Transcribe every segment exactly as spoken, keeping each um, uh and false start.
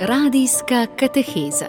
Radijska kateheza.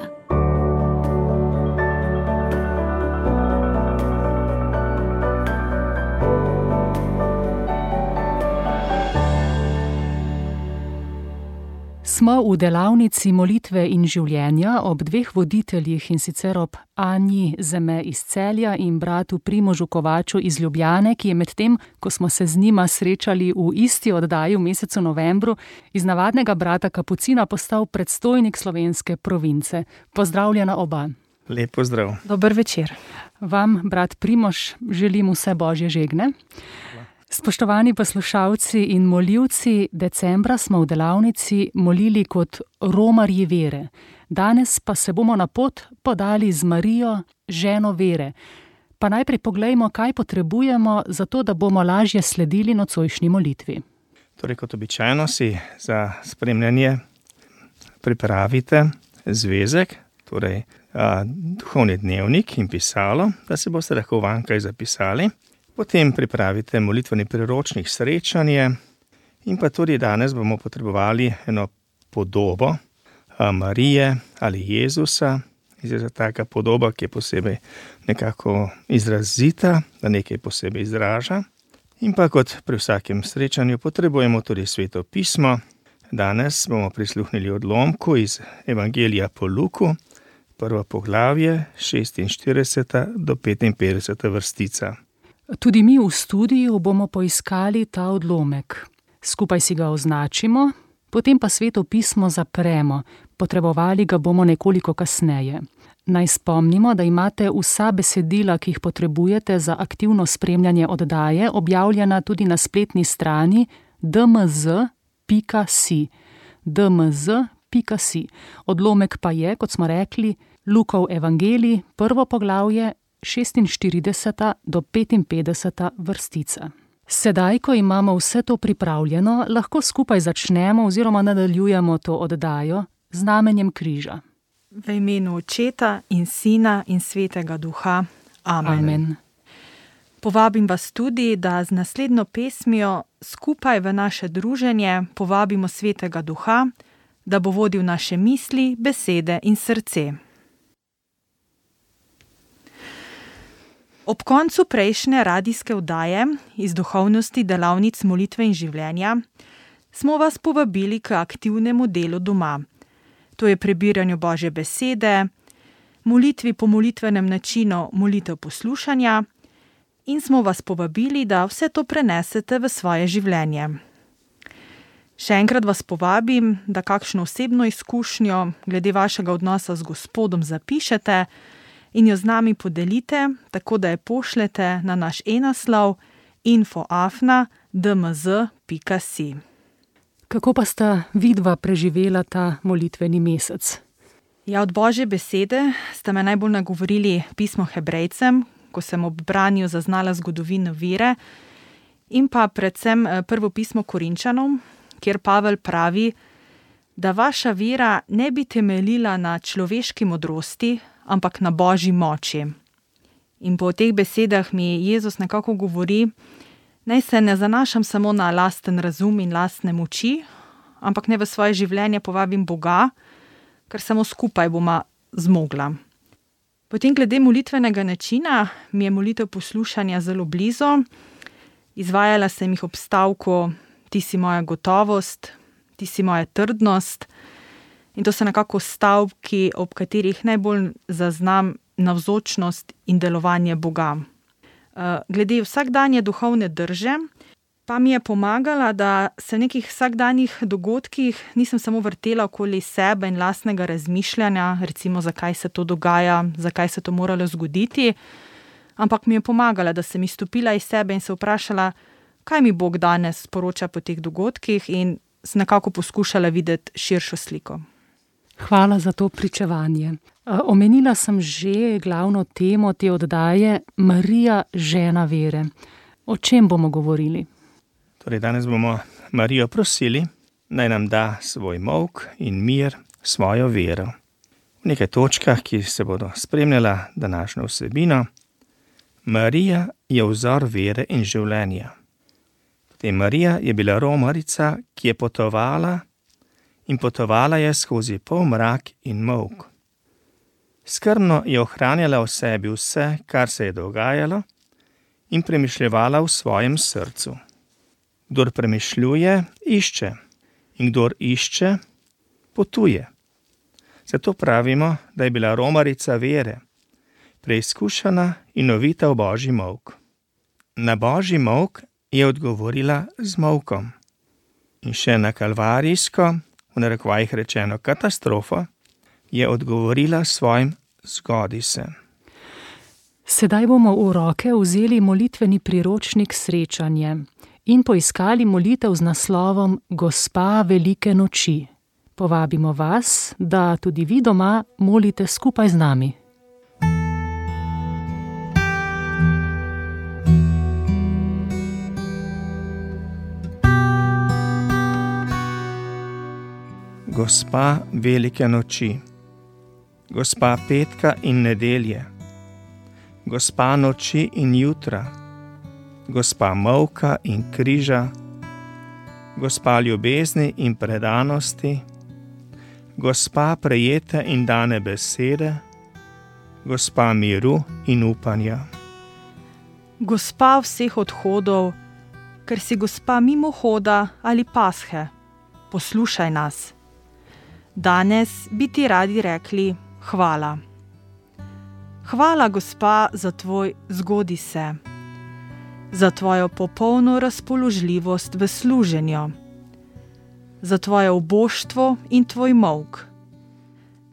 Smo v delavnici molitve in življenja ob dveh voditeljih, in sicer ob Anji Zeme iz Celja in bratu Primožu Kovaču iz Ljubljane, ki je medtem, ko smo se z njima srečali v isti oddaji v mesecu novembru, iz navadnega brata kapucina postal predstojnik slovenske province. Pozdravljena oba. Lep pozdrav. Dober večer. Vam, brat Primož, želim vse božje žegne. Spoštovani poslušalci in molilci, decembra smo v delavnici molili kot romarji vere. Danes pa se bomo na pot podali z Marijo, ženo vere. Pa najprej poglejmo, kaj potrebujemo za to, da bomo lažje sledili nocojšnji molitvi. Torej, kot običajno si za spremljanje pripravite zvezek, torej a, duhovni dnevnik in pisalo, da se boste lahko vankaj zapisali. Potem pripravite molitveni priročnik srečanje in pa tudi danes bomo potrebovali eno podobo Marije ali Jezusa. Je taka podoba, ki je posebej nekako izrazita, da nekaj posebej izraža. In pa kot pri vsakem srečanju potrebujemo tudi Sveto pismo. Danes bomo prisluhnili odlomku iz Evangelija po Luku, prvo poglavje, šestinštirideseta do petinpetdeseta vrstica. Tudi mi v studiu bomo poiskali ta odlomek. Skupaj si ga označimo, potem pa Sveto pismo zapremo. Potrebovali ga bomo nekoliko kasneje. Naj spomnimo, da imate vsa besedila, ki jih potrebujete za aktivno spremljanje oddaje, objavljena tudi na spletni strani d m z pika si. d m z pika si. Odlomek pa je, kot smo rekli, Lukov evangelij, prvo poglavje, šestinštirideseta do petinpetdeseta vrstica. Sedaj, ko imamo vse to pripravljeno, lahko skupaj začnemo oziroma nadaljujemo to oddajo z znamenjem križa. V imenu Očeta in Sina in Svetega Duha. Amen. Amen. Povabim vas tudi, da z naslednjo pesmijo skupaj v naše druženje povabimo Svetega Duha, da bo vodil naše misli, besede in srce. Ob koncu prejšnje radijske oddaje iz duhovnosti delavnic molitve in življenja smo vas povabili k aktivnemu delu doma. To je prebiranju Božje besede, molitvi po molitvenem načinu molitev poslušanja in smo vas povabili, da vse to prenesete v svoje življenje. Še enkrat vas povabim, da kakšno osebno izkušnjo glede vašega odnosa z Gospodom zapišete in jo z nami podelite, tako da jo pošljete na naš e-naslov info afna d m z pika si. Kako pa sta vidva preživela ta molitveni mesec? Ja, od Božje besede sta me najbolj nagovorili pismo Hebrejcem, ko sem ob branju zaznala zgodovino vere, in pa predvsem prvo pismo Korinčanom, kjer Pavel pravi, da vaša vera ne bi temeljila na človeški modrosti, ampak na Božji moči. In po teh besedah mi Jezus nekako govori, naj se ne zanašam samo na lasten razum in lastne moči, ampak ne v svoje življenje povabim Boga, ker samo skupaj boma zmogla. Potem glede molitvenega načina mi je molitev poslušanja zelo blizu. Izvajala sem jih ob stavku Ti si moja gotovost, ti si moja trdnost. In to so nekako stavki, ob katerih najbolj zaznam navzočnost in delovanje Boga. Glede vsakdanje duhovne drže, pa mi je pomagala, da se v nekih vsakdanjih dogodkih nisem samo vrtela okoli sebe in lastnega razmišljanja, recimo zakaj se to dogaja, zakaj se to moralo zgoditi, ampak mi je pomagala, da sem izstopila iz sebe in se vprašala, kaj mi Bog danes sporoča po teh dogodkih, in sem nekako poskušala videti širšo sliko. Hvala za to pričevanje. Omenila sem že glavno temo te oddaje, Marija, žena vere. O čem bomo govorili? Torej, danes bomo Marijo prosili, naj nam da svoj molk in mir, svojo vero. V nekaj točkah, ki se bodo spremljala današnjo vsebino, Marija je vzor vere in življenja. Potem Marija je bila romarica, ki je potovala in potovala je skozi polmrak in molk. Skrbno je ohranjala v sebi vse, kar se je dogajalo, in premišljevala v svojem srcu. Kdor premišljuje, išče, in kdor išče, potuje. Zato pravimo, da je bila romarica vere, preizkušena in novita v božji molk. Na božji molk je odgovorila z molkom. In še na kalvarijsko, v narekovajih rečeno katastrofo, je odgovorila svojim zgodi se. Sedaj bomo v roke vzeli molitveni priročnik Srečanje in poiskali molitev z naslovom Gospa velike noči. Povabimo vas, da tudi vi doma molite skupaj z nami. Gospa velike noči, Gospa petka in nedelje, Gospa noči in jutra, Gospa molka in križa, Gospa ljubezni in predanosti, Gospa prejete in dane besede, Gospa miru in upanja. Gospa vseh odhodov, ker si Gospa mimohoda ali pashe, poslušaj nas. Danes bi ti radi rekli hvala. Hvala, Gospa, za tvoj zgodi se, za tvojo popolno razpoložljivost v služenju, za tvoje oboštvo in tvoj molk,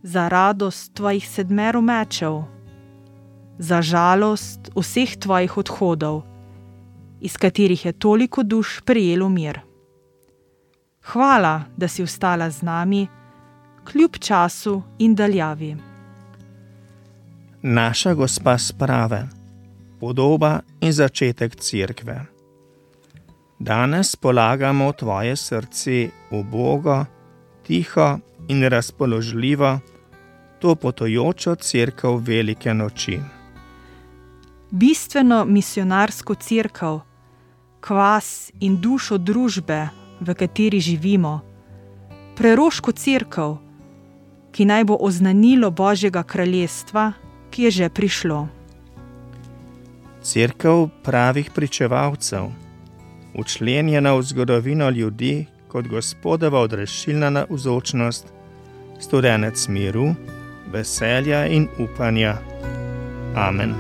za radost tvojih sedmero mečev, za žalost vseh tvojih odhodov, iz katerih je toliko duš prejelo mir. Hvala, da si ostala z nami, kljub času in daljavi. Naša Gospa sprave, podoba in začetek cerkve. Danes polagamo v tvoje srce ubogo, tiho in razpoložljivo to potujočo cerkev velike noči. Bistveno misionarsko cerkev, kvas in dušo družbe, v kateri živimo, preroško cerkev, ki naj bo oznanilo Božjega kraljestva, ki je že prišlo. Cerkev pravih pričevalcev, učlenjena v zgodovino ljudi kot Gospodova odrešilna navzočnost, studenec miru, veselja in upanja. Amen.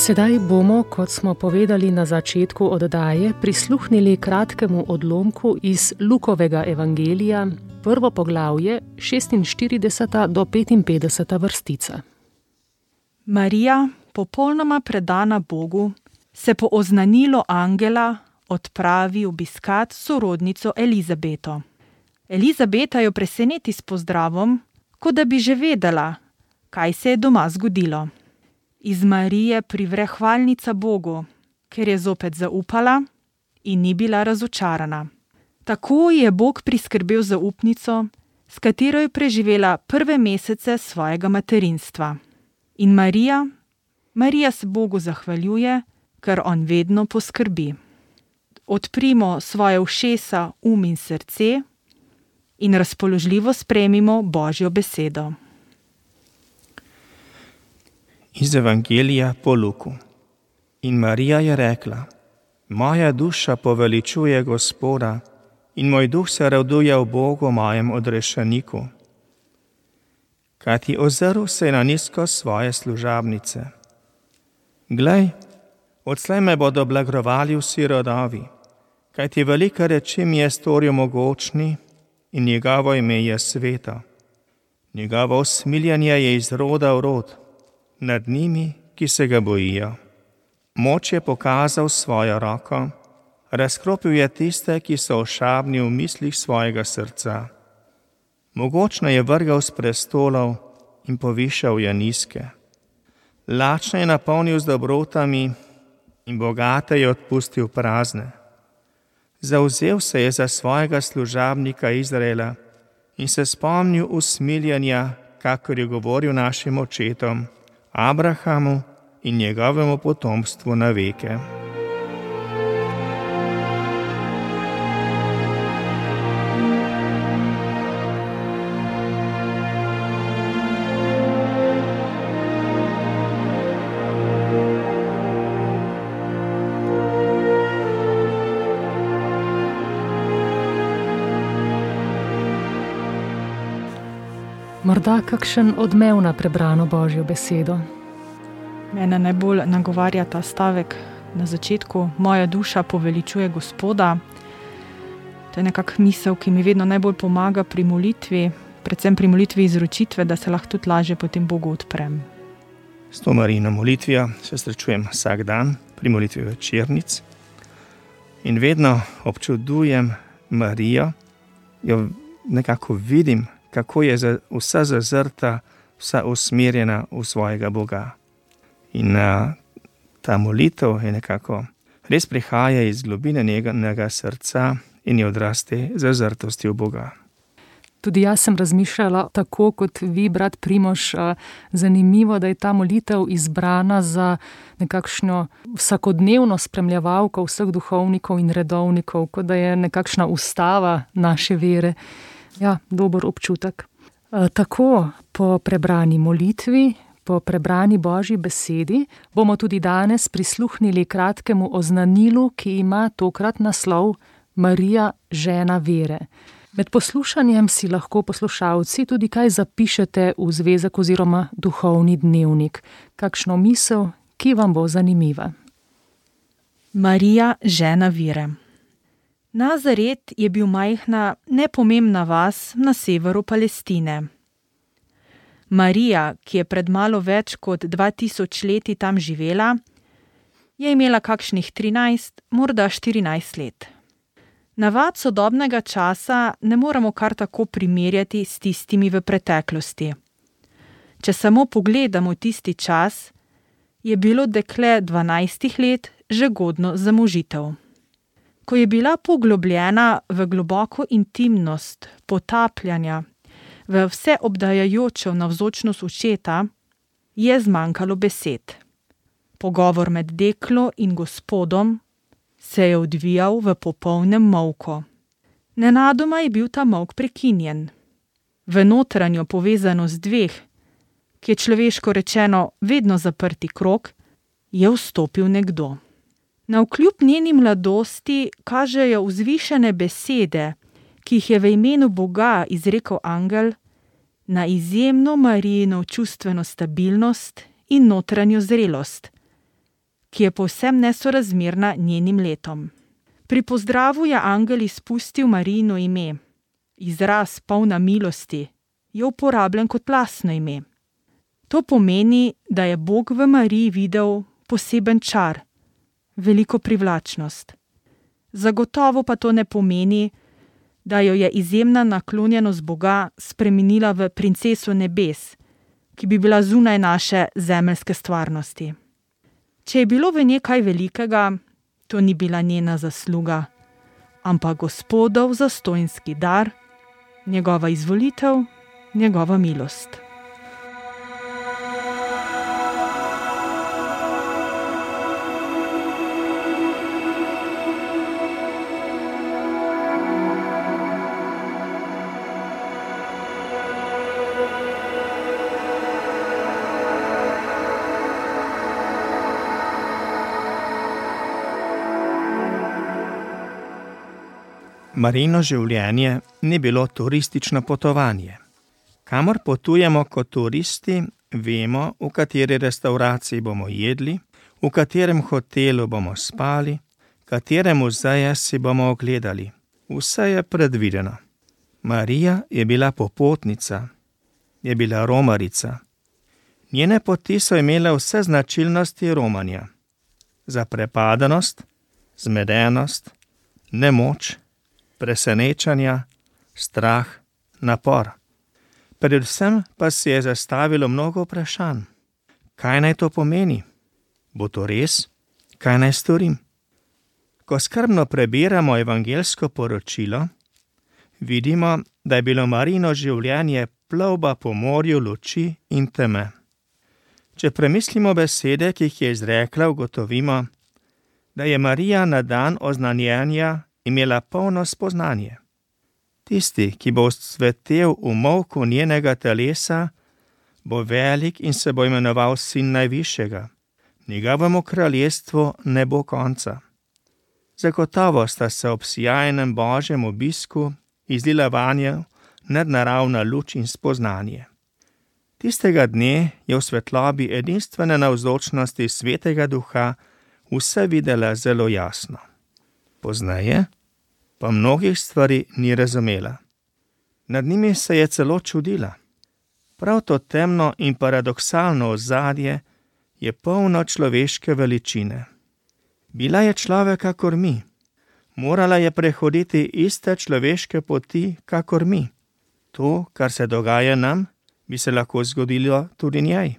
Sedaj bomo, kot smo povedali na začetku oddaje, prisluhnili kratkemu odlomku iz Lukovega evangelija, prvo poglavje, šestinštirideseta do petinpetdeseta vrstica. Marija, popolnoma predana Bogu, se po oznanilo angela odpravi obiskat sorodnico Elizabeto. Elizabeta jo preseneti s pozdravom, kot da bi že vedela, kaj se je doma zgodilo. Iz Marije privre hvalnica Bogu, ker je zopet zaupala in ni bila razočarana. Tako je Bog priskrbel zaupnico, s katero je preživela prve mesece svojega materinstva. In Marija, Marija se Bogu zahvaljuje, ker on vedno poskrbi. Odprimo svoje ušesa, um in srce in razpoložljivo sprejmimo Božjo besedo. Iz Evangelija po Luku. In Marija je rekla: Moja duša poveličuje Gospoda in moj duh se raduje v Bogu, mojem odrešeniku. Kajti ozrl se je na nizko svoje služabnice. Glej, odslej me bodo blagrovali vsi rodovi, kajti velike reči mi je storil mogočni in njegovo ime je sveto. Njegovo usmiljenje je iz roda v rod, nad njimi, ki se ga bojijo. Moč je pokazal svojo roko, razkropil je tiste, ki so ošabni v mislih svojega srca. Mogočno je vrgal s prestolov in povišal je nizke. Lačne je napolnil z dobrotami in bogate je odpustil prazne. Zavzel se je za svojega služabnika Izraela in se spomnil usmiljenja, kakor je govoril našim očetom, Abrahamu in njegovemu potomstvu na veke. Morda kakšen odmev na prebrano Božjo besedo. Mene najbolj nagovarja ta stavek na začetku: moja duša poveličuje Gospoda. To je nekak misel, ki mi vedno najbolj pomaga pri molitvi, predvsem pri molitvi izročitve, da se lahko tudi lažje potem Bogu odprem. S to Marijino molitvijo se srečujem vsak dan pri molitvi večernic in vedno občudujem Marijo, jo nekako vidim, kako je vsa zazrta, vsa usmerjena v svojega Boga. In uh, ta molitev je nekako res prihaja iz globine njenega srca in je odraz te zazrtosti v Boga. Tudi jaz sem razmišljala tako kot vi, brat Primož. Zanimivo, da je ta molitev izbrana za nekakšno vsakodnevno spremljevalko vseh duhovnikov in redovnikov, kot da je nekakšna ustava naše vere. Ja, dober občutek. Tako po prebrani molitvi, po prebrani Božji besedi bomo tudi danes prisluhnili kratkemu oznanilu, ki ima tokrat naslov Marija, žena vere. Med poslušanjem si lahko poslušalci tudi kaj zapišete v zvezek oziroma duhovni dnevnik. Kakšno misel, ki vam bo zanimiva. Marija, žena vere. Nazaret je bil majhna, nepomembna vas na severu Palestine. Marija, ki je pred malo več kot dva tisoč leti tam živela, je imela kakšnih trinajst, morda štirinajst let. Navad sodobnega časa ne moremo kar tako primerjati s tistimi v preteklosti. Če samo pogledamo tisti čas, je bilo dekle dvanajstih let že godno za možitev. Ko je bila poglobljena v globoko intimnost potapljanja, v vseobdajajočo navzočnost očeta, je zmanjkalo besed. Pogovor med deklo in Gospodom se je odvijal v popolnem molku. Nenadoma je bil ta molk prekinjen. V notranjo povezanost dveh, ki je človeško rečeno vedno zaprti krog, je vstopil nekdo. Navkljub njeni mladosti kažejo vzvišene besede, ki jih je v imenu Boga izrekel angel, na izjemno Marijino čustveno stabilnost in notranjo zrelost, ki je povsem nesorazmerna njenim letom. Pri pozdravu je angel izpustil Marijino ime. Izraz polna milosti je uporabljen kot lastno ime. To pomeni, da je Bog v Mariji videl poseben čar, veliko privlačnost. Zagotovo pa to ne pomeni, da jo je izjemna naklonjenost Boga spremenila v princeso nebes, ki bi bila zunaj naše zemeljske stvarnosti. Če je bilo v njej kaj velikega, to ni bila njena zasluga, ampak Gospodov zastonjski dar, njegova izvolitev, njegova milost. Marijino življenje ni bilo turistično potovanje. Kamor potujemo kot turisti, vemo, v kateri restavraciji bomo jedli, v katerem hotelu bomo spali, katere muzeje si bomo ogledali. Vse je predvideno. Marija je bila popotnica, je bila romarica. Njene poti so imele vse značilnosti romanja. Zaprepadenost, zmedenost, nemoč, presenečanja, strah, napor. Predvsem pa si je zastavilo mnogo vprašanj. Kaj naj to pomeni? Bo to res? Kaj naj storim? Ko skrbno prebiramo evangeljsko poročilo, vidimo, da je bilo Marijino življenje plovba po morju luči in teme. Če premislimo besede, ki jih je izrekla, ugotovimo, da je Marija na dan oznanjenja imela polno spoznanje. Tisti, ki bo cvetel v molku njenega telesa, bo velik in se bo imenoval sin najvišjega. Njegovemu kraljestvu ne bo konca. Zagotovo sta se ob sijajnem božjem obisku izlila vanjo nadnaravna luč in spoznanje. Tistega dne je v svetlobi edinstvene navzočnosti Svetega Duha vse videla zelo jasno. Pozneje pa mnogih stvari ni razumela. Nad njimi se je celo čudila. Prav to temno in paradoksalno ozadje je polno človeške veličine. Bila je človek kakor mi. Morala je prehoditi iste človeške poti kakor mi. To, kar se dogaja nam, bi se lahko zgodilo tudi njej.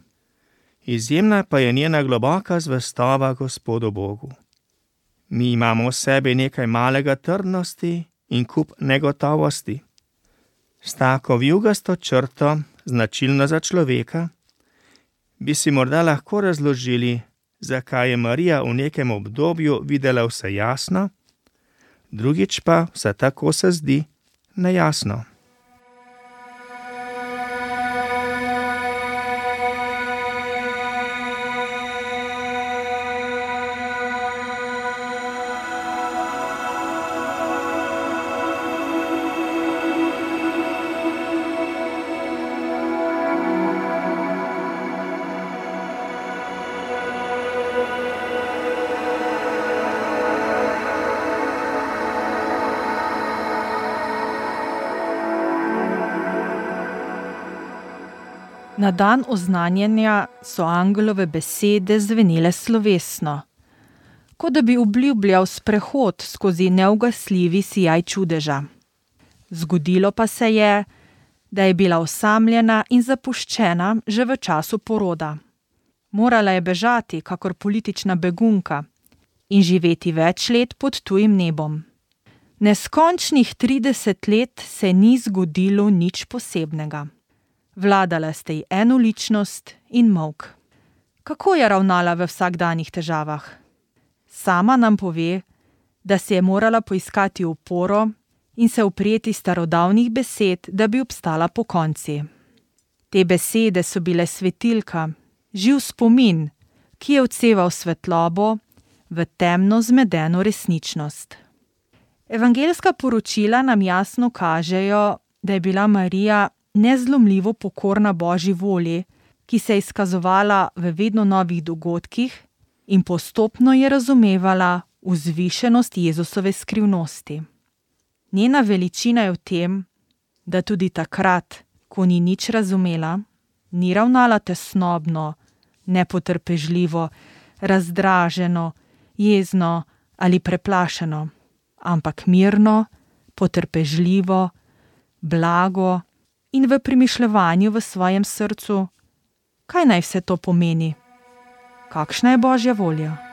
Izjemna pa je njena globoka zvestova Gospodu Bogu. Mi imamo v sebi nekaj malega trdnosti in kup negotovosti. S tako vijugasto črto, značilno za človeka, bi si morda lahko razložili, zakaj je Marija v nekem obdobju videla vse jasno, drugič pa vse tako se zdi nejasno. Na dan oznanjenja so angelove besede zvenele slovesno, kot da bi obljubljal sprehod skozi neugasljivi sijaj čudeža. Zgodilo pa se je, da je bila osamljena in zapuščena že v času poroda. Morala je bežati kakor politična begunka in živeti več let pod tujim nebom. Neskončnih trideset let se ni zgodilo nič posebnega. Vladala sta ji enoličnost in molk. Kako je ravnala v vsakdanjih težavah? Sama nam pove, da se je morala poiskati oporo in se uprijeti starodavnih besed, da bi obstala pokonci. Te besede so bile svetilka, živ spomin, ki je odseval svetlobo v temno zmedeno resničnost. Evangeljska poročila nam jasno kažejo, da je bila Marija nezlomljivo pokorna Božji volji, ki se je izkazovala v vedno novih dogodkih in postopno je razumevala vzvišenost Jezusove skrivnosti. Njena veličina je v tem, da tudi takrat, ko ni nič razumela, ni ravnala tesnobno, nepotrpežljivo, razdraženo, jezno ali preplašeno, ampak mirno, potrpežljivo, blago in v premišljevanju v svojem srcu, kaj naj vse to pomeni? Kakšna je Božja volja?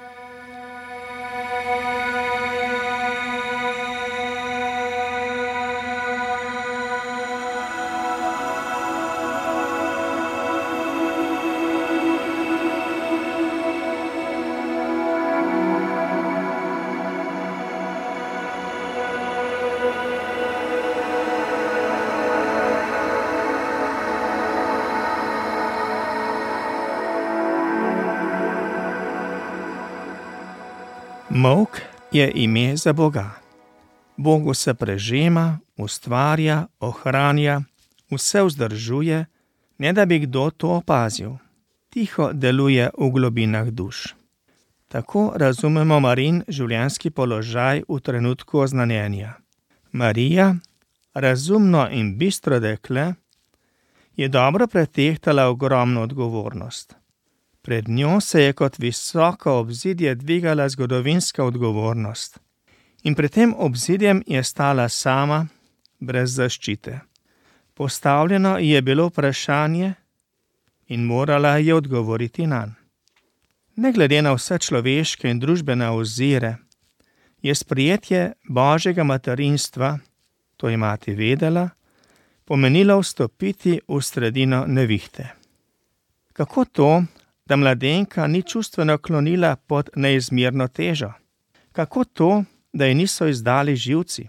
Molk je ime za Boga. Bogu se prežema, ustvarja, ohranja, vse vzdržuje, ne da bi kdo to opazil. Tiho deluje v globinah duš. Tako razumemo Marin življenjski položaj v trenutku oznanjenja. Marija, razumno in bistro dekle, je dobro pretehtala ogromno odgovornost. Pred njo se je kot visoko obzidje dvigala zgodovinska odgovornost. In pred tem obzidjem je stala sama, brez zaščite. Postavljeno je bilo vprašanje in morala je odgovoriti nanj. Ne glede na vse človeške in družbene ozire, je sprejetje Božjega materinstva, to je mati vedela, pomenilo vstopiti v sredino nevihte. Kako to, da mladenka ni čustveno klonila pod neizmerno težo? Kako to, da ji niso izdali živci?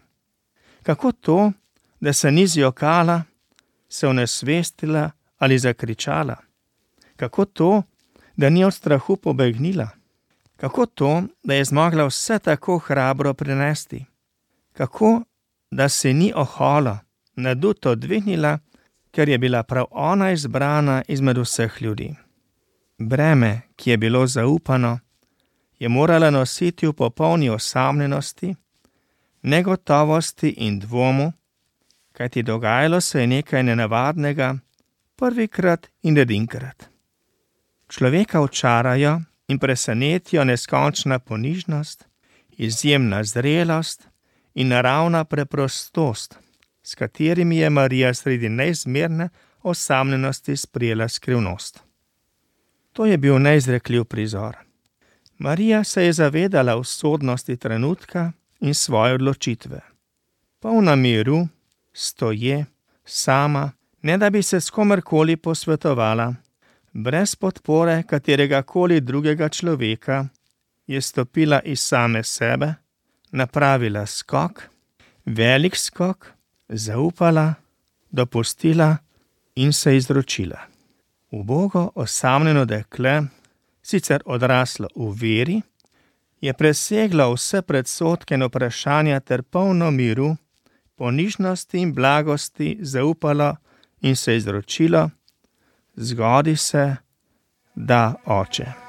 Kako to, da se ni zjokala, se onesvestila ali zakričala? Kako to, da ni od strahu pobegnila? Kako to, da je zmogla vse tako hrabro prenesti? Kako, da se ni oholo, naduto dvignila, ker je bila prav ona izbrana izmed vseh ljudi? Breme, ki je bilo zaupano, je morala nositi v popolni osamljenosti, negotovosti in dvomu, kajti dogajalo se je nekaj nenavadnega, prvikrat in edinkrat. Človeka očarajo in presenetijo neskončna ponižnost, izjemna zrelost in naravna preprostost, s katerimi je Marija sredi neizmerne osamljenosti sprejela skrivnost. To je bil neizrekljiv prizor. Marija se je zavedala usodnosti trenutka in svoje odločitve. Polna miru, stoje, sama, ne da bi se s komerkoli posvetovala, brez podpore kateregakoli drugega človeka, je stopila iz same sebe, napravila skok, velik skok, zaupala, dopustila in se izročila. Ubogo osamljeno dekle, sicer odraslo v veri, je preseglo vse predsodke in vprašanja ter polno miru, ponižnosti in blagosti zaupalo in se izročilo, zgodi se, da oče.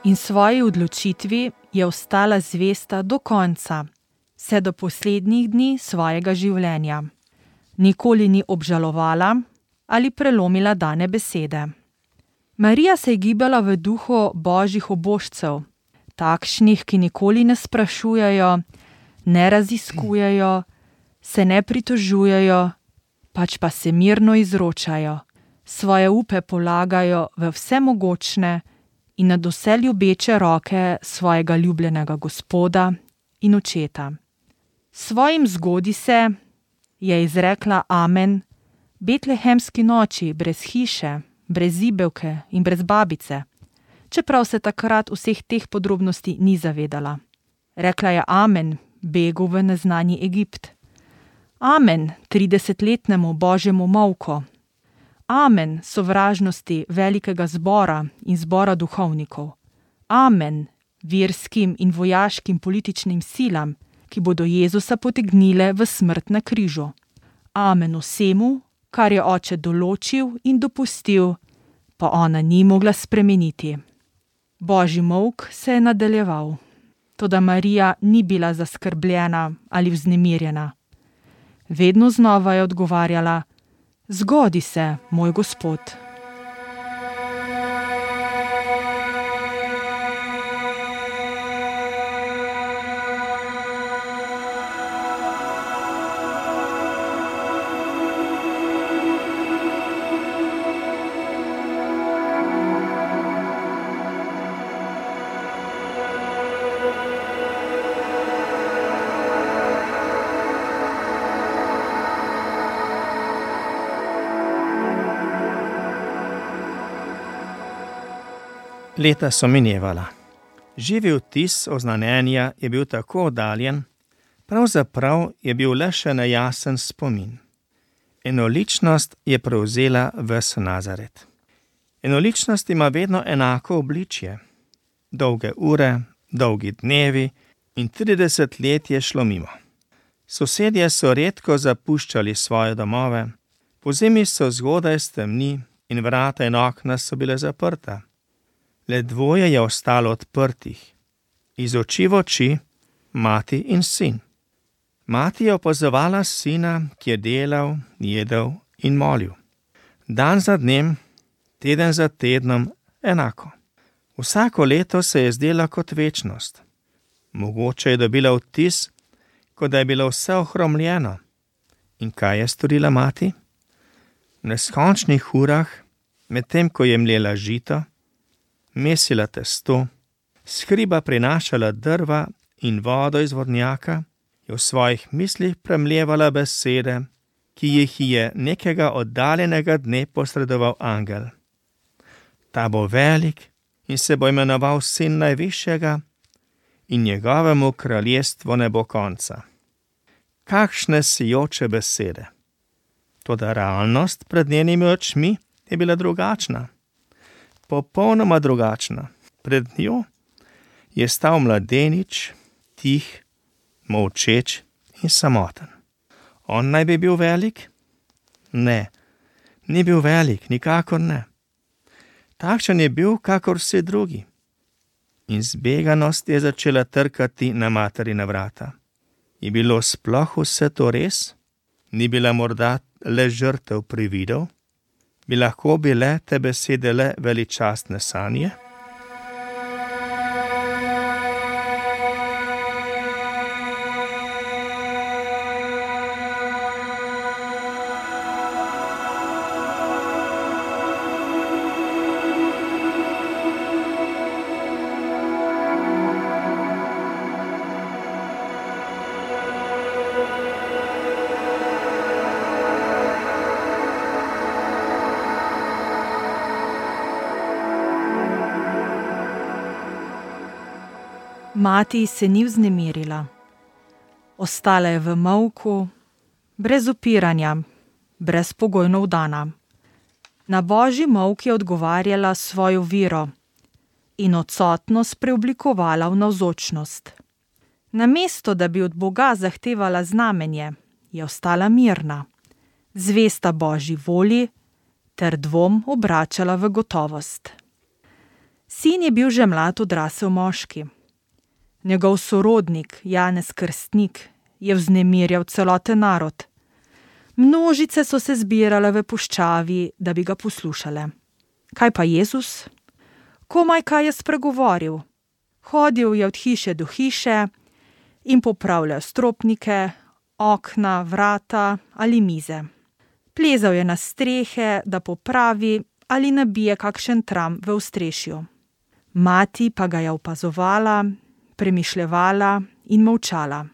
In svoji odločitvi je ostala zvesta do konca, vse do poslednjih dni svojega življenja. Nikoli ni obžalovala ali prelomila dane besede. Marija se je gibala v duhu božjih obožcev, takšnih, ki nikoli ne sprašujejo, ne raziskujejo, se ne pritožujejo, pač pa se mirno izročajo, svoje upe polagajo v vsemogočne in nad vse ljubeče roke svojega ljubljenega Gospoda in očeta. Svojim zgodi se je izrekla amen betlehemski noči brez hiše, brez zibelke in brez babice, čeprav se takrat vseh teh podrobnosti ni zavedala. Rekla je amen begu v neznani Egipt. Amen tridesetletnemu božjemu molku. Amen sovražnosti velikega zbora in zbora duhovnikov. Amen verskim in vojaškim političnim silam, ki bodo Jezusa potegnile v smrt na križu. Amen vsemu, kar je oče določil in dopustil, pa ona ni mogla spremeniti. Božji molk se je nadaljeval, toda Marija ni bila zaskrbljena ali vznemirjena. Vedno znova je odgovarjala: Zgodi se, moj Gospod. Leta so minevala. Živi vtis oznanjenja je bil tako oddaljen, pravzaprav je bil le še nejasen spomin. Enoličnost je prevzela ves Nazaret. Enoličnost ima vedno enako obličje. Dolge ure, dolgi dnevi in trideset let je šlo mimo. Sosedje so redko zapuščali svoje domove, pozimi so zgodaj stemni in vrata in okna so bile zaprta. Le dvoje je ostalo odprtih, iz oči v oči, mati in sin. Mati je opazovala sina, ki je delal, jedel in molil. Dan za dnem, teden za tednom, enako. Vsako leto se je zdela kot večnost. Mogoče je dobila vtis, kot da je bilo vse ohromljeno. In kaj je storila mati? V neskončnih urah, medtem ko je mlela žito, mesila testo, s hriba prinašala drva in vodo iz vodnjaka, je v svojih mislih premljevala besede, ki jih je nekega oddaljenega dne posredoval angel. Ta bo velik in se bo imenoval sin najvišjega in njegovemu kraljestvu ne bo konca. Kakšne sijoče besede! Toda realnost pred njenimi očmi je bila drugačna. Popolnoma drugačna. Pred njo je stal mladenič, tih, molčeč in samoten. On naj bi bil velik? Ne, ni bil velik, nikakor ne. Takšen je bil, kakor vsi drugi. In zbeganost je začela trkati na materina vrata. Je bilo sploh vse to res? Ni bila morda le žrtev prividov? Bi lahko bile te besede le veličastne sanje? Mati se ni vznemirila. Ostala je v molku, brez upiranja, brezpogojno vdana. Na božji molk je odgovarjala svojo vero in odsotnost preoblikovala v navzočnost. Namesto, da bi od Boga zahtevala znamenje, je ostala mirna, zvesta božji volji ter dvom obračala v gotovost. Sin je bil že mlad odrasel moški. Njegov sorodnik, Janez Krstnik, je vznemirjal celoten narod. Množice so se zbirale v puščavi, da bi ga poslušale. Kaj pa Jezus? Komaj kaj je spregovoril. Hodil je od hiše do hiše in popravljal stropnike, okna, vrata ali mize. Plezal je na strehe, da popravi ali nabije kakšen tram v ostrešju. Mati pa ga je opazovala, premišljevala in molčala.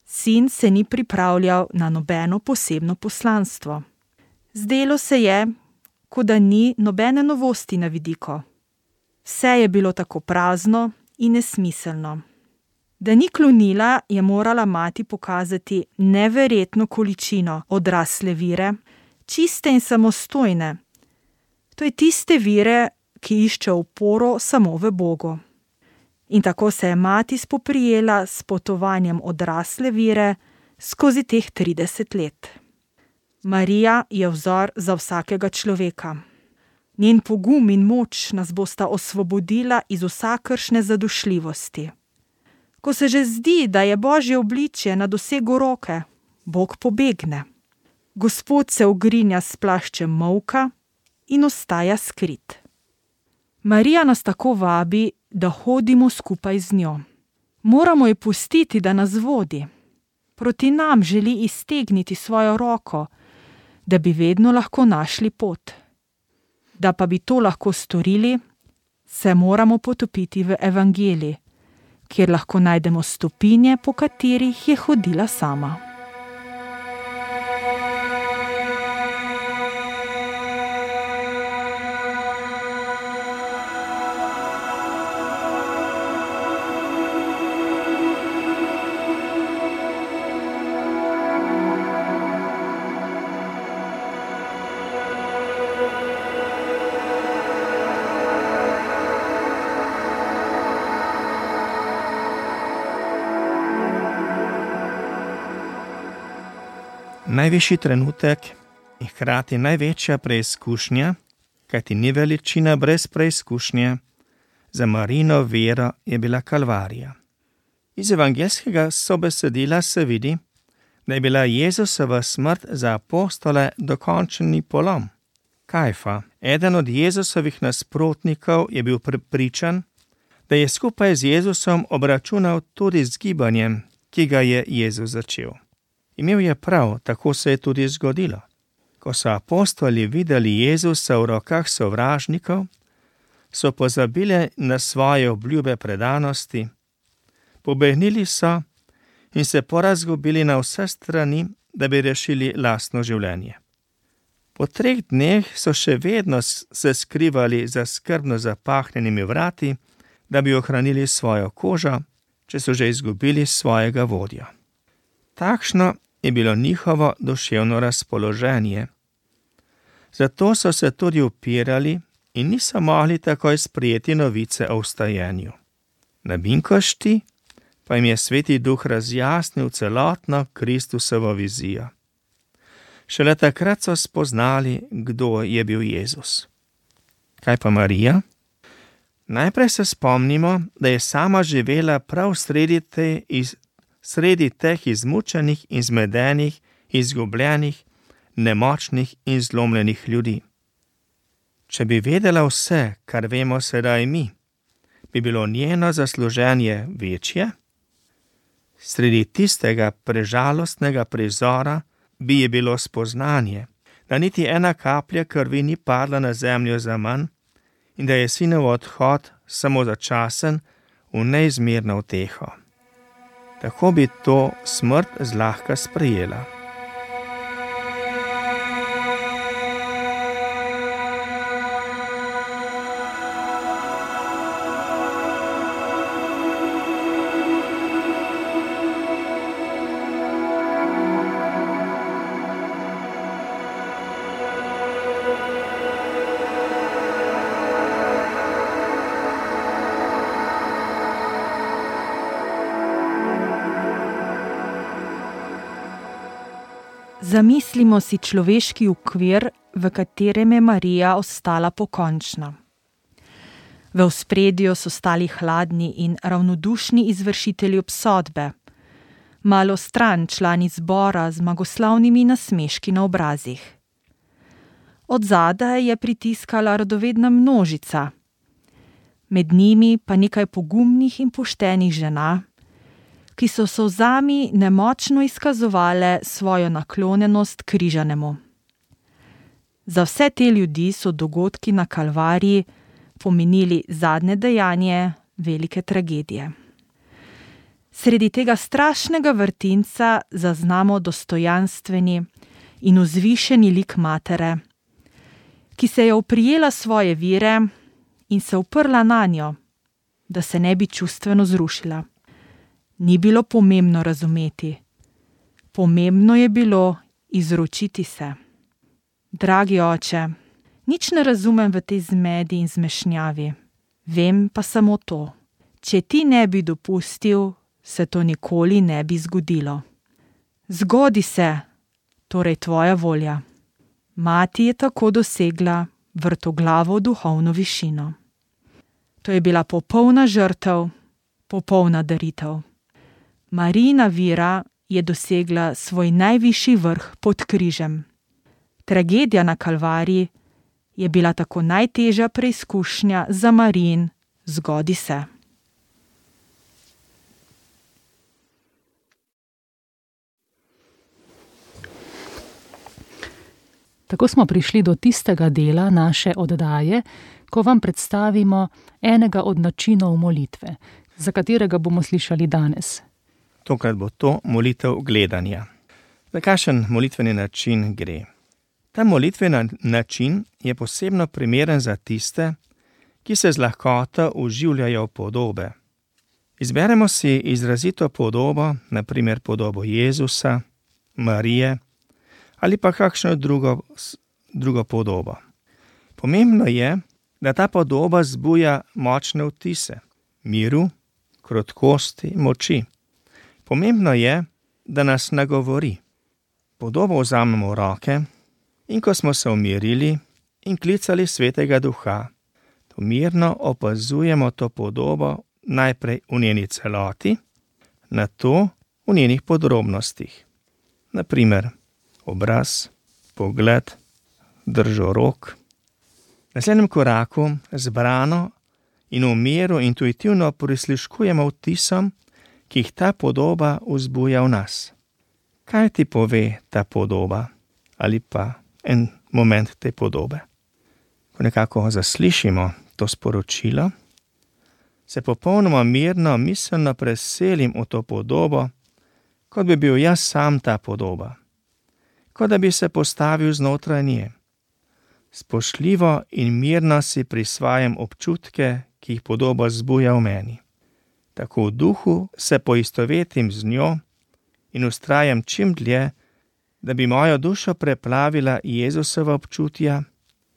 Sin se ni pripravljal na nobeno posebno poslanstvo. Zdelo se je, kot da ni nobene novosti na vidiku. Vse je bilo tako prazno in nesmiselno. Da ni klonila, je morala mati pokazati neverjetno količino odrasle vire, čiste in samostojne. To je tiste vire, ki išče oporo samo v Bogu. In tako se je mati spoprijela s potovanjem odrasle vire skozi teh trideset let. Marija je vzor za vsakega človeka. Njen pogum in moč nas bosta osvobodila iz vsakršne zadušljivosti. Ko se že zdi, da je božje obličje na dosegu roke, Bog pobegne. Gospod se ogrinja s plaščem molka in ostaja skrit. Marija nas tako vabi, da hodimo skupaj z njo. Moramo ji pustiti, da nas vodi. Proti nam želi iztegniti svojo roko, da bi vedno lahko našli pot. Da pa bi to lahko storili, se moramo potopiti v evangelij, kjer lahko najdemo stopinje, po katerih je hodila sama. Najvišji trenutek in hkrati največja preizkušnja, kajti ni veličina brez preizkušnje, za Marijino vero je bila Kalvarija. Iz evangeljskega sobesedila se vidi, da je bila Jezusova smrt za apostole dokončni polom. Kajfa, eden od Jezusovih nasprotnikov, je bil prepričan, da je skupaj z Jezusom obračunal tudi z gibanjem, ki ga je Jezus začel. Imel je prav, tako se je tudi zgodilo. Ko so apostoli videli Jezusa v rokah sovražnikov, so pozabili na svoje obljube predanosti, pobegnili so in se porazgubili na vse strani, da bi rešili lastno življenje. Po treh dneh so še vedno se skrivali za skrbno zapahnjenimi vrati, da bi ohranili svojo kožo, če so že izgubili svojega vodjo. Takšno je bilo njihovo duševno razpoloženje. Zato so se tudi upirali in niso mogli takoj sprejeti novice o vstajenju. Na Binkošti pa jim je Sveti Duh razjasnil celotno Kristusovo vizijo. Šele takrat so spoznali, kdo je bil Jezus. Kaj pa Marija? Najprej se spomnimo, da je sama živela prav sredi, te iz, sredi teh izmučenih in zmedenih, izgubljenih, nemočnih in zlomljenih ljudi. Če bi vedela vse, kar vemo sedaj mi, bi bilo njeno zasluženje večje? Sredi tistega prežalostnega prizora bi je bilo spoznanje, da niti ena kaplja krvi ni padla na zemljo zaman in da je sinov odhod samo začasen v neizmerno uteho. Tako bi to smrt zlahka sprejela. Zamislimo si človeški okvir, v katerem je Marija ostala pokončna. V ospredju so stali hladni in ravnodušni izvršitelji obsodbe, malo stran člani zbora z zmagoslavnimi nasmeški na obrazih. Od zadaj je pritiskala radovedna množica, med njimi pa nekaj pogumnih in poštenih žena, ki so solzami nemočno izkazovale svojo naklonjenost križanemu. Za vse te ljudi so dogodki na Kalvariji pomenili zadnje dejanje velike tragedije. Sredi tega strašnega vrtinca zaznamo dostojanstveni in vzvišeni lik matere, ki se je oprijela svoje vire in se uprla nanjo, da se ne bi čustveno zrušila. Ni bilo pomembno razumeti, pomembno je bilo izročiti se. Dragi oče, nič ne razumem v tej zmedi in zmešnjavi, vem pa samo to. Če ti ne bi dopustil, se to nikoli ne bi zgodilo. Zgodi se, torej tvoja volja. Mati je tako dosegla vrtoglavo duhovno višino. To je bila popolna žrtev, popolna daritev. Marijina vira je dosegla svoj najvišji vrh pod križem. Tragedija na Kalvariji je bila tako najtežja preizkušnja za Marijin zgodi se. Tako smo prišli do tistega dela naše oddaje, ko vam predstavimo enega od načinov molitve, za katerega bomo slišali danes. Tokrat bo to molitev gledanja. Za kakšen molitveni način gre? Ta molitveni način je posebno primeren za tiste, ki se z lahkoto vživljajo v podobe. Izberemo si izrazito podobo, na primer podobo Jezusa, Marije ali pa kakšno drugo, drugo podobo. Pomembno je, da ta podoba zbuja močne vtise, miru, krotkosti, moči. Pomembno je, da nas nagovori. Podobo vzamemo v roke in ko smo se umirili in klicali Svetega Duha, to mirno opazujemo to podobo najprej v njeni celoti, nato v njenih podrobnostih. naprimer obraz, pogled, držo rok. V naslednjem koraku zbrano in v miru intuitivno prisluškujemo vtisom, ki jih ta podoba vzbuja v nas. Kaj ti pove ta podoba ali pa en moment te podobe? Ko nekako zaslišimo to sporočilo, se popolnoma mirno, miselno preselim v to podobo, kot bi bil jaz sam ta podoba, kot da bi se postavil znotraj nje. Spoštljivo in mirno si prisvajam občutke, ki jih podoba zbuja v meni. Tako v duhu se poistovetim z njo in vztrajam čim dlje, da bi mojo dušo preplavila Jezusova občutja,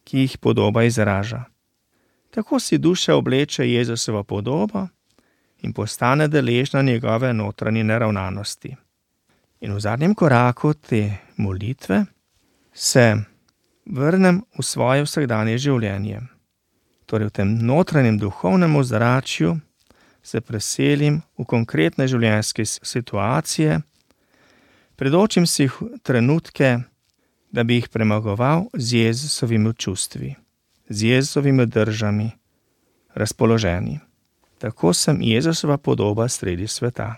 ki jih podoba izraža. Tako si duša obleče Jezusovo podobo in postane deležna njegove notranje naravnanosti. In v zadnjem koraku te molitve se vrnem v svoje vsakdanje življenje. Torej v tem notranjem duhovnem ozračju se preselim v konkretne življenjske situacije, predočim si trenutke, da bi jih premagoval z Jezusovimi čustvi, z Jezusovimi držami, razpoloženi. Tako sem Jezusova podoba sredi sveta.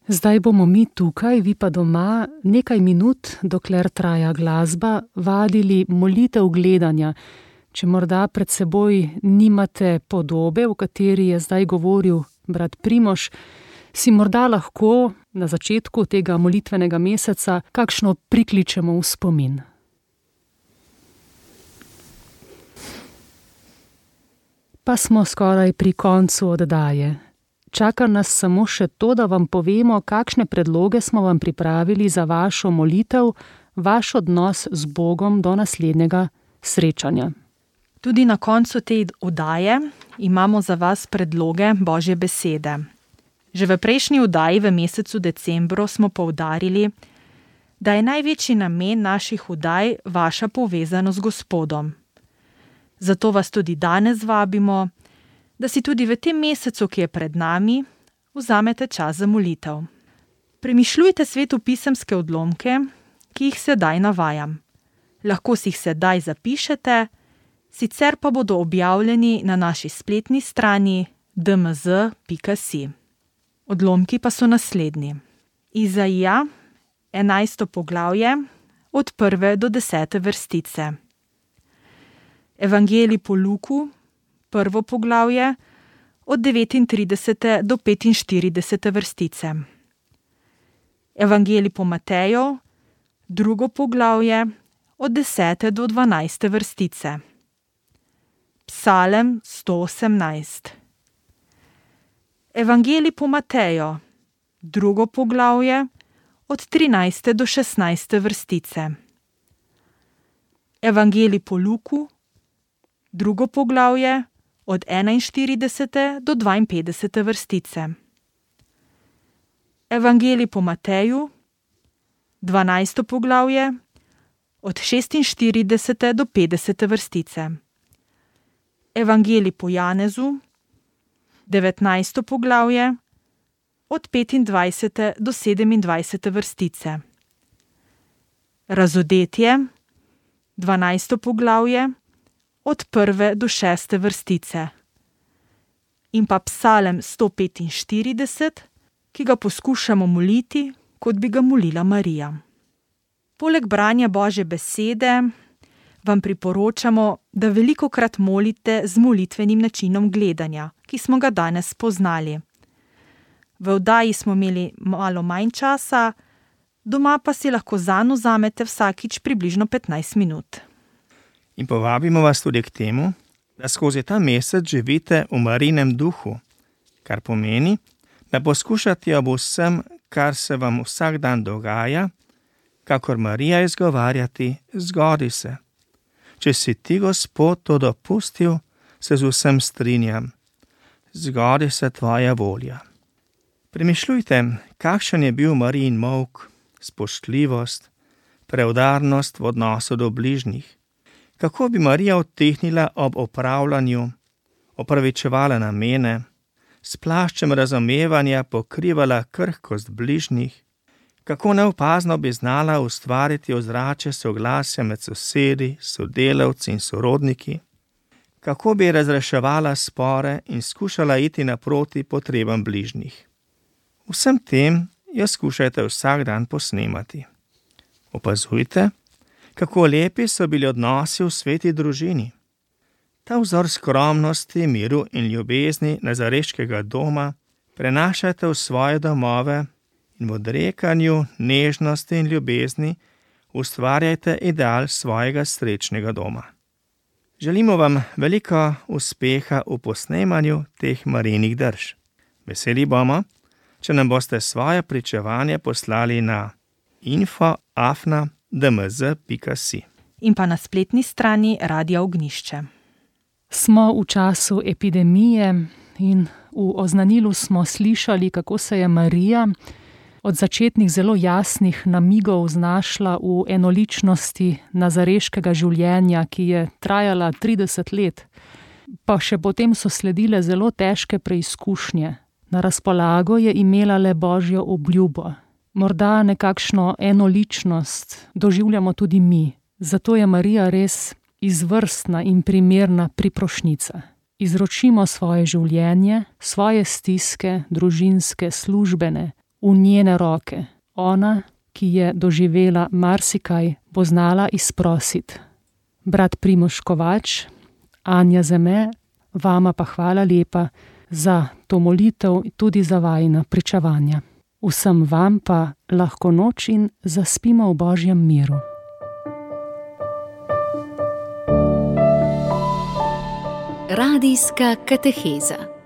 Zdaj bomo mi tukaj, vi pa doma, nekaj minut, dokler traja glasba, vadili molitev gledanja. Če morda pred seboj nimate podobe, o kateri je zdaj govoril brat Primož, si morda lahko na začetku tega molitvenega meseca kakšno prikličemo v spomin. Pa smo skoraj pri koncu oddaje. Čaka nas samo še to, da vam povemo, kakšne predloge smo vam pripravili za vašo molitev, vaš odnos z Bogom do naslednjega srečanja. Tudi na koncu te oddaje imamo za vas predloge Božje besede. Že v prejšnji oddaji v mesecu decembru smo poudarili, da je največji namen naših oddaj vaša povezanost z Gospodom. Zato vas tudi danes vabimo, da si tudi v tem mesecu, ki je pred nami, vzamete čas za molitev. Premišljujte svetopisemske odlomke, ki jih sedaj navajam. Lahko si jih sedaj zapišete, sicer pa bodo objavljeni na naši spletni strani d m z pika si. Odlomki pa so naslednji. Izaija, enajsto poglavje, od prve do desete vrstice. Evangelij po Luku, prvo poglavje, od devetintridesete do petinštiridesete vrstice. Evangelij po Mateju, drugo poglavje, od desete do dvanajste vrstice. Psalem sto osemnajst. Evangelij po Mateju, drugo poglavje, od trinajste do šestnajste vrstice. Evangelij po Luku, drugo poglavje, od enainštiridesete do dvainpetdesete vrstice. Evangelij po Mateju, dvanajsto poglavje, od šestinštiridesete do petdesete vrstice. Evangelij po Janezu, devetnajsto poglavje, od petindvajsete do sedemindvajsete vrstice. Razodetje, dvanajsto poglavje, od prve do šeste vrstice. In pa Psalem sto petinštirideset, ki ga poskušamo moliti, kot bi ga molila Marija. Poleg branja Božje besede vam priporočamo, da velikokrat molite z molitvenim načinom gledanja, ki smo ga danes spoznali. V oddaji smo imeli malo manj časa, doma pa si lahko zanj vzamete vsakič približno petnajst minut. In povabimo vas tudi k temu, da skozi ta mesec živite v Marijinem duhu, kar pomeni, da poskušate ob vsem, kar se vam vsak dan dogaja, kakor Marija izgovarjati, zgodi se. Če si ti, Gospod, to dopustil, se z vsem strinjam. Zgodi se tvoja volja. Premišljujte, kakšen je bil Marijin molk, spoštljivost, preudarnost v odnosu do bližnjih. Kako bi Marija odtehnila ob opravljanju, opravičevala namene, s plaščem razumevanja pokrivala krhkost bližnjih, Kako neopazno bi znala ustvariti ozračje soglasja med sosedi, sodelavci in sorodniki, kako bi razreševala spore in skušala iti naproti potrebam bližnjih. Vsem tem jo skušajte vsak dan posnemati. Opazujte, kako lepi so bili odnosi v sveti družini. Ta vzor skromnosti, miru in ljubezni nazareškega doma prenašajte v svoje domove in v odrekanju, nežnosti in ljubezni ustvarjajte ideal svojega srečnega doma. Želimo vam veliko uspeha v posnemanju teh Marijinih drž. Veseli bomo, če nam boste svoje pričevanje poslali na info afna d m z pika si in pa na spletni strani Radia Ognjišče. Smo v času epidemije in v oznanilu smo slišali, kako se je Marija od začetnih zelo jasnih namigov znašla v enoličnosti nazareškega življenja, ki je trajala trideset let, pa še potem so sledile zelo težke preizkušnje. Na razpolago je imela le Božjo obljubo. Morda nekakšno enoličnost doživljamo tudi mi, zato je Marija res izvrstna in primerna priprošnica. Izročimo svoje življenje, svoje stiske, družinske, službene, v njene roke. Ona, ki je doživela marsikaj, bo znala izprositi. Brat Primož Kovač, Anja Zeme, vama pa hvala lepa za to molitev, tudi za vajina pričevanja. Vsem vam pa lahko noč in zaspimo v Božjem miru. Radijska kateheza.